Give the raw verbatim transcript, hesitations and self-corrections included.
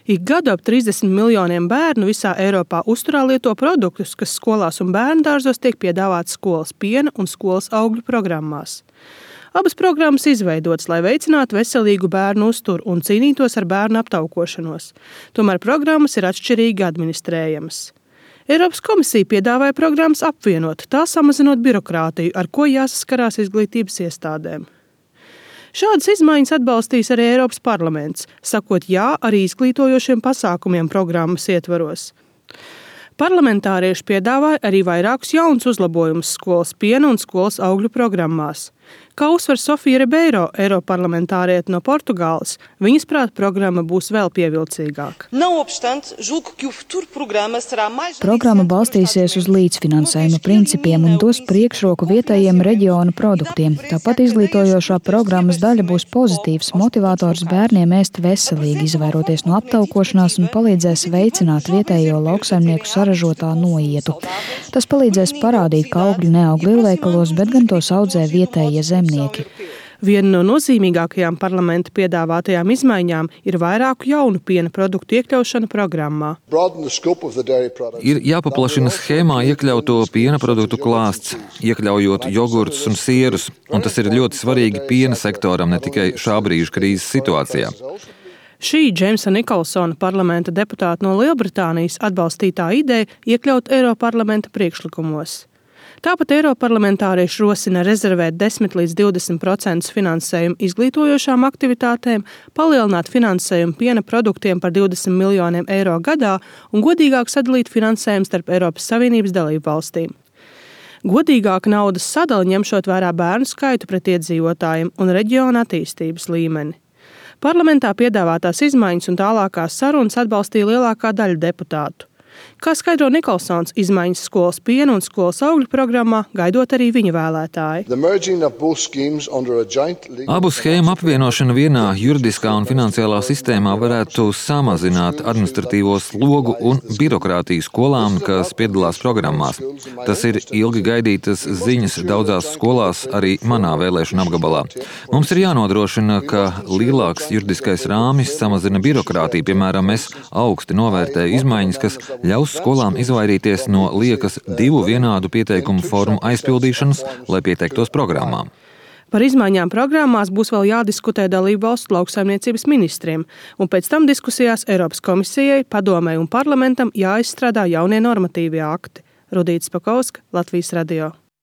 Ik gadu ap trīsdesmit miljoniem bērnu visā Eiropā uzturā lieto produktus, kas skolās un bērndārzos tiek piedāvāti skolas piena un skolas augļu programmās. Abas programmas izveidotas, lai veicinātu veselīgu bērnu uzturu un cīnītos ar bērnu aptaukošanos. Tomēr programmas ir atšķirīgi administrējamas. Eiropas komisija piedāvāja programmas apvienot, tā samazinot birokrātiju, ar ko jāsaskarās izglītības iestādēm. Šādas izmaiņas atbalstīs arī Eiropas parlaments, sakot jā arī izglītojošiem pasākumiem programmas ietvaros. Parlamentārieši piedāvāja arī vairākus jaunus uzlabojumus skolas piena un skolas augļu programmās. Kā uzsver Sofija Ribeiro, eiroparlamentāriete no Portugāles, viņas prāt programma būs vēl pievilcīgāka. Programma balstīsies uz līdzfinansējuma principiem un dos priekšroku vietējiem reģiona produktiem. Tāpat izglītojošā programmas daļa būs pozitīvs motivators bērniem ēst veselīgi, izvairoties no aptaukošanās un palīdzēs veicināt vietējo lauksaimnieku saražotā noietu. Tas palīdzēs parādīt, ka augļi neaug lielveikalos, bet gan tos audzē vietējie zemnieki. Viena no nozīmīgākajām parlamenta piedāvātajām izmaiņām ir vairāku jaunu piena produktu iekļaušana programmā. Ir jāpaplašina schēmā iekļauto piena produktu klāsts, iekļaujot jogurtus un sierus, un tas ir ļoti svarīgi piena sektoram, ne tikai šā brīža krīzes situācijā. Šī Džeimsa Nikolsona parlamenta deputāta no Lielbritānijas atbalstītā ideja iekļaut Eiroparlamenta priekšlikumos. Tāpat eiroparlamentārieši rosina rezervēt desmit līdz divdesmit procenti finansējumu izglītojošām aktivitātēm, palielināt finansējumu piena produktiem par divdesmit miljoniem eiro gadā un godīgāk sadalīt finansējumu starp Eiropas Savienības dalību valstīm. Godīgāka naudas sadala ņemšot vērā bērnu skaitu pret iedzīvotājiem un reģiona attīstības līmeni. Parlamentā piedāvātās izmaiņas un tālākās sarunas atbalstīja lielākā daļa deputātu. Kā skaidro Nikolsons, izmaiņas skolas piena un skolas augļu programmā gaidot arī viņa vēlētāji. Abu schēmu apvienošana vienā juridiskā un finansiālā sistēmā varētu samazināt administratīvo slogu un birokrātiju skolām, kas piedalās programmās. Tas ir ilgi gaidītas ziņas daudzās skolās, arī manā vēlēšana apgabalā. Mums ir jānodrošina, ka lielāks juridiskais rāmis samazina birokrātiju. Piemēram, es augsti novērtēju izmaiņas, kas ļaus skolām izvairīties no liekas divu vienādu pieteikumu formu aizpildīšanas, lai pieteiktos programmām. Par izmaiņām programmās būs vēl jādiskutē dalību valstu lauksaimniecības ministriem, un pēc tam diskusijās Eiropas komisijai, padomei un parlamentam jāizstrādā jaunie normatīvie akti. Rudīta Spakauska, Latvijas radio.